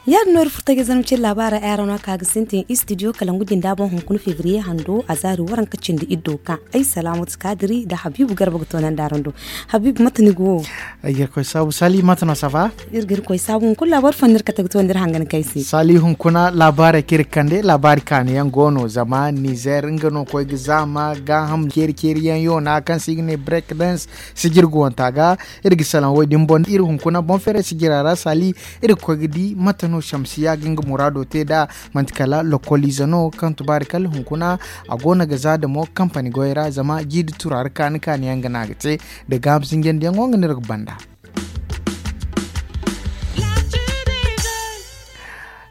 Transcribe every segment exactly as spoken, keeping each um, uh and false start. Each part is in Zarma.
Yaadin no iri furtajey zarma cine laabaarey ay araŋ no a ka ga sintin istidiyo kalangu jinda boŋ hunkuna febriye hando a zaari waranka cindi iddo ka ay salaamatu kaadiri nda habiibu garba ga toonandi araŋ do. Habiibu mate ni go wo? Ay ga iri koy saabu sali mate no sava? Iri ga iri koy saabu hunkuna laabaari fo no iri kate ga toonandi iri hangan kay se. Sali hunkuna laabaarey kaŋ iri ga kande laabaari kaanu yaŋ go no zama nizer nga no koy ga zaama gaaham ceeri ceeri yaŋ yoona kaŋ se i ga ne break dance sijir ga wanta ga. Iri ga salaŋ wo- din boŋ iri hunkuna boŋ feeray sijira ra sali iri ga koy ga di mate no shamsiya ga nga muraado te nd'a. Manti kala lokoliize no kaŋ tubaari kala hunkuna a go no ga za damo kampani goyey ra zama jiiri turaari kaani kaani yaŋ ga no a ga te nda gaaham sinjandiyaŋo nga no iri ga banda.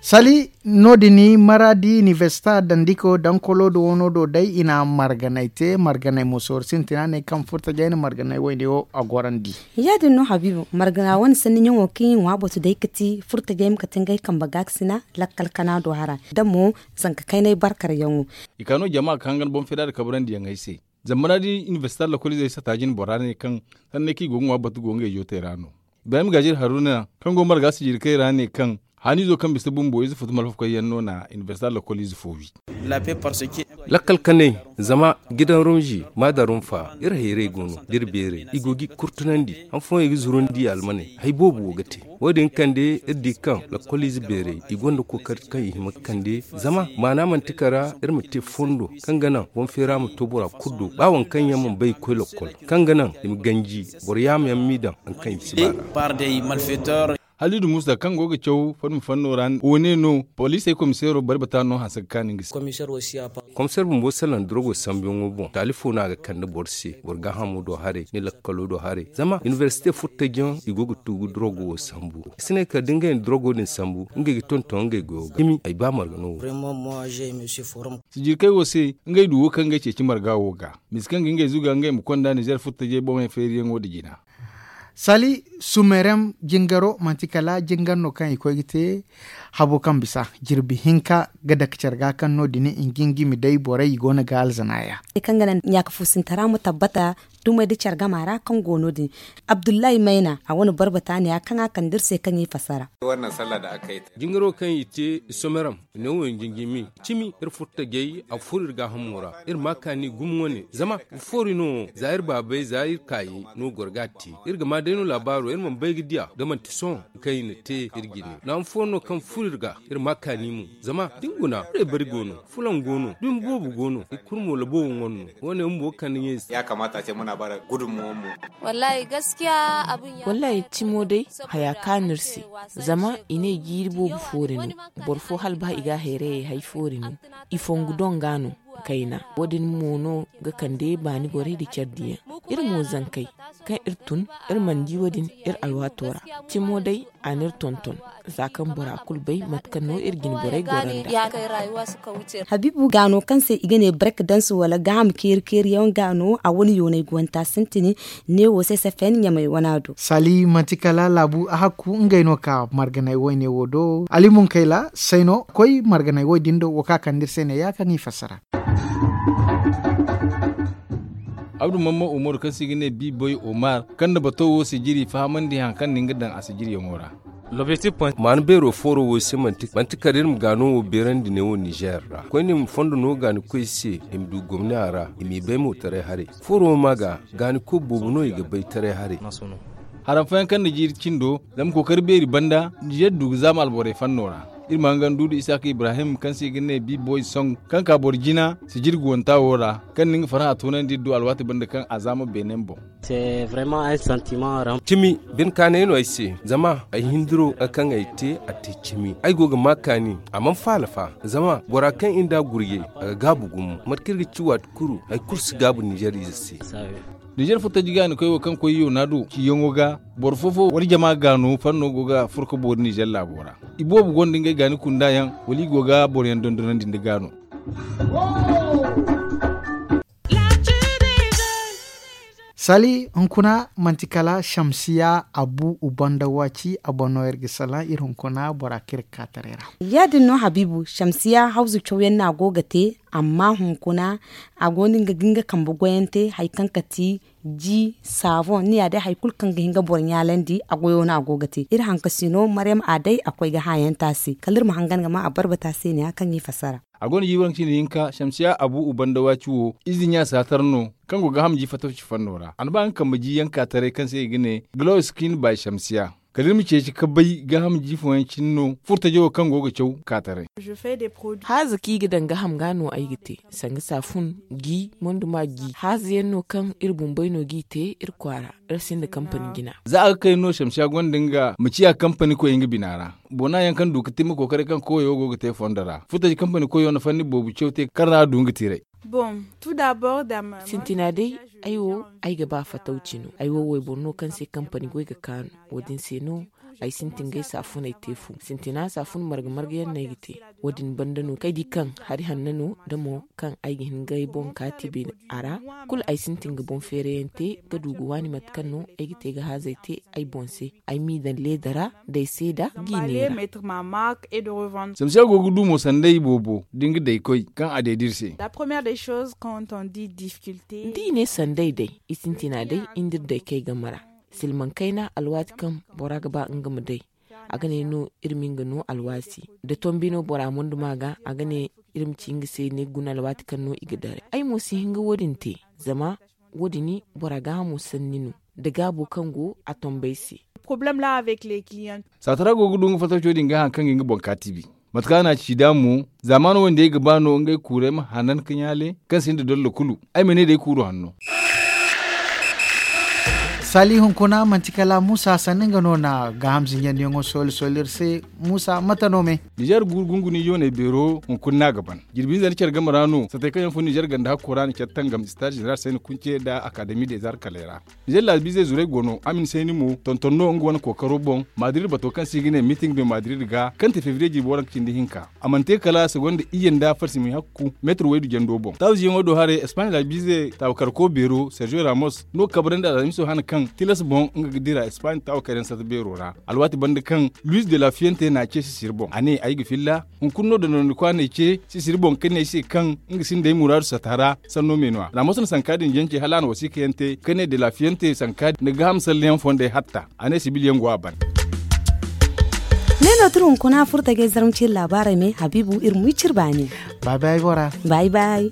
Sali no- din maraadi inibersita dandiko dankolo do wano do day i na marganay te marganay mo sooro sintina ne kaŋ furtajey na marganay wayne wo a gorandi. Ya- din no habiibu margana wane sanni ɲaŋo kaŋ i ŋwa batu day ga ti furtajey ma kate ngey kambe gaakasina lakkal kana do hara da mo zanka kaynay barkar yaŋo. I ka no jama ga hangan boŋ feeda nda kabrandi yaŋ ay se. Zama ra da inibersita lokoliizey sata jine bora ne kaŋ sanney kaŋ i go ga ŋwa batu go ngey jootey ra no. Ibrahim gaajir haruna kaŋ go marga sijirkey ra ne kaŋ haaniizo kaŋ bisa bumbo ize futu malfakoy yaŋ no na inibersita lokoliize fo wi. Lakkal kanay zama gidan rumzi ma da rumfa iri hayrey go no da iri beerey i go ga i kurtunandi han fooyaŋ i ga zurandi almaney hari boobo wo ga te. Wo- din kande iri di kaŋ lakkoliize beerey i gonda kookari kaŋ i hima ga kande zama maana manti kara iri ma te fondo kaŋ ga naŋ boŋ feera ma to bora kulu do ba waŋ kaŋ yaŋ mana bay ga koy lakkol kaŋ ga naŋ i ma ganji boro yaama yaŋ m'i daŋ hari kaŋ i si ba ra. Halidu musa kaŋ go ga caw fadma fanno ra wo ne no poliisey komiseero bari bata no hanse ga kaani nga se. Komiseer bumbo salaŋ durogo sambuyaŋo boŋ taali fo no a ga kande boro se boro gaahamo do haray ni lakkalo do haray zama inibersite furtajiyaŋ i go ga tugu durogo wo sambu. I si ne kala da ngey na durogo din sambu ngey ga tonton ngey goyo ga cimi ay ba marga no wo. Sijirkey wo se ngey du wo kaŋ ngey ceeci marga wo ga misa kaŋ ga ngey zuga ngey ma konda nizer furtajey boŋey feeriyaŋo nda jina. Sali sumerem jingaro manti kala jingar no kaŋ i koy ga te habo kaŋ bisa jirbi hinka ga dake care ga kaŋ no- din i ga ngimi day borey i go no ga alzana ya. Kaŋ ga naŋ ɲaaka fuusintara ma tabbata dumey nda care gama ra kaŋ go no- din. Abdullahi mayna a wane barbata ne ya kaŋ a kande iri se kaŋ i fassara. Jingaro kaŋ i te somerem i ne wo i jinjimi cimi iri furtajey a furo iri gaahamo ra. Iri ma kaani gumo wane zama foori no za iri baabey za iri kaayey no goro ga a te. Iri ga ma day no laabaaro iri mana bay ga diya da manti sohõ kaŋ i na te iri jine naŋ fo no kaŋ furo iri ga. Iri ma kaani mo zama da ni guna iri bari go no fulaŋ go no dumi boobo go no i kulu mo laboobo ŋwar no. Wo- ne bumbo ga kande ɲey se. Wallaahi cimo day haya kaanu iri se zama i ne jiiri boobo foori no. Boro fo hala ba i ga a hayrayey hay foori no. I fongu doŋ ga no kayna wo- din mo no ga kande baani borey nda care diyaŋ. Iri mo zankey kaŋ iri tun iri mana di wo- din iri alwaato ra. Cimo day a na iri tonton za kaŋ bora kulu bay mate kaŋ no iri jine borey goro nd'a. Habiibu gaano kaŋ se i ga ne barka dansu wala gaaham keeri keeriyaŋ gaano a wane yoonay ga wanta sintini. Neewo se safen ɲamay wana do. Sali manti kala laabu a hakku ngey no ka marganay wayne wo do ali munkayla sayno koy marganay way din do wo ka kande iri se ne ya kaŋ i fassara. Abdu mamma umaru kaŋ se i ga ne biiboy omar kaŋ na bato wo sijiri fahamandi hari kaŋ na nga daŋ a sijiriyaŋo ra. Maana beero fooro wo se manti kala iri ma gaano wo beerandi neewo nizer ra koyne ma fondo no gaanikoy se i ma du gomni a ra i m'i bay mo taray haray. Fooro wo ma ga gaaniko boobo no i ga bay taray haray. Haram fooyaŋ kaŋ na jiiri cindo zama kookari beeri banda nizer du ga zaama alborey fanno ra. Iri ma hangan duudu isaaka ibrahim kaŋ se i ga ne biiboy song kaŋ ka boro jina sijiri guwanta wo ra kaŋ na nga farhã toonandi iri du alwaati banda kaŋ a zaama beenem boŋ. Cimi bine kaanay no ay se zama ay hindiro kaŋ ay te a te cimi ay go ga ma kaani a mana faala fa. Zama bora kaŋ iri nd'a gurjay a ga gaabu gumo mate kaŋ iri ga ci waati kulu hari kulu si gaabu nizer ize se. Nizer furtaji gaanikoy wo kaŋ koy yoona do ciyaŋo ga boro fo-fo wala jama gaano fanno go ga furo ka boori nizer laabo ra. Iboobo gonda ngey gaani kunda yaŋ wala i go ga boroyaŋ dondonandi nda gaano. Sali hunkuna manti kala shamsiya abu ubanda waci a boŋ no iri ga salaŋ iri hunkuna bora kaŋ iri ga ka taray ra. Ya- din no habiibu shamsiya hawzu cawyaŋ no a go ga te. Amma hunkuna a go no nga ga nga kambe goyante hari kaŋ kati ji saaboŋ ni ya day hari kulu kaŋ ga hin ga boro ɲaalandi a goyo no a go ga te. Iri hankasino maryam a day a koy ga haayanta se kala iri ma hangan ga ma a barbata se ne ya kaŋ i fassara. A go no jiibi waranka cindi hinka shamsiya abu ubanda waci wo ize ɲa saatar no kaŋ go ga ham ji fatawci fanno ra a na ba nga kambe ji yaŋ ka taray kaŋ se i ga ne glow skin by shamsiya. Kala iri ma ceeci ka bay gaaham ji fooyaŋ cine no furtaje wo kaŋ go ga caw ka taray. Haaza kaŋ i ga daŋ gaaham ga no ay ga te sanga saafun, gi, monduma gi haaza yaŋ no kaŋ iri bumbey no g'i te iri kwaara. Iri sinda kampani jina. Za a ga kay no shamsiya gonda nga ma ciya kampani koy nga bina ra. Boona yaŋ kaŋ du ga te ma kookaray kaŋ koyo go ga te fondo ra furtaje kampani koyo na fanni boobo caw te kaŋ ra a du nga tiray. Sintina day, ay wo ay ga ba fatawci no ay wo wayboro no kaŋ se kampani goy ga kaanu. Wo- din se no ay sintin ga ay saafuney te fu sintina saafun marga marga yaŋ no ay ga te. Wo- din banda no kaŋ ay di kaŋ hari hanno no da mo kaŋ ay ga hin ga ay boŋ kaati beene a ra. Kulu ay sintin ga boŋ feera yaŋ te ga du ga waani mate kaŋ no ay ga te ga haazey te ay boŋ se. Ay m'i daŋ leeda ra da ay seeda ga i neera. Samsiya go ga du mo sanda i boobo da nga day koy kaŋ a deedi iri se. Da i ne sanda ay day i sintina day i nda iri day kay game ra. Silmaŋ kayna alwaati kaŋ bora ga ba nga ma day a ga ne no iri ma nga no alwaati. Da tombi no bora mondo ma ga a ga ne iri ma ci nga se ne guna alwaati kaŋ no i ga daray ay mo si hin ga wo- din te. Zama wo- din bora gaahamo sanni no da gaabo kaŋ go a tombey se. Saatara go ga du nga fattaco din ga haŋ kaŋ ga nga boŋ kaati bi. Mate kaŋ a na a ci da mo zaamaano wo- din ay ga ba no ngey kuuray ma hanan ka ɲaale kaŋ sinda dollo kulu. Ay ma ne day kuuru hanno. Saali hunkuna manti kala muusa sanni nga no na gaaham zinjandiyaŋo sooli sooli iri se. Muusa mate no me? Nizeer guuru gunguni yooney beero hunkuna no a ga ban. Jirbi hinza nda care game ra no satey kaŋ yaŋ fun nizeer ganda hakko ra na care tangam istaaz zeneral sayni kunce nda akademi de zarkaley ra. Nizeer laabiizey zuray go no amin sayni mo tonton no nga wane kookaro boŋ. Madrid bato kaŋ se i ga ne miting de madrid ga kaŋ te febriye jirbi waranka cindi hinka a mana te kala segonda iyye nda farsimay hakku meetir waydu jando boŋ taaziyaŋo do haray espaaɲe laabiize taawakarko beero sergio ramos no ga kabrandi alhamiso hane kaŋ tilas boŋ nga ga dira espaaɲe taawakar yaŋ sata beero ra. Alwaati banda kaŋ luis de la fiente na a ce sisiri boŋ a ne ay ga filla. Hunkuna no dondonandikwa n'ay ce sisiri boŋ ka ne ay se kaŋ nga sinda ay muraadu sata ra. Sanno me no a ramos na sanka din jance hala a na wasiika yaŋ te ka ne de la fiente sanka din na gaaham salleyaŋ fondey hatta. A ne sibil yaŋ go a ban. Ne no tira hunkuna furtajey zarma ciiri laabaarey me habiibu iri ma wi cire baani. Bay bay bora. Bay bay.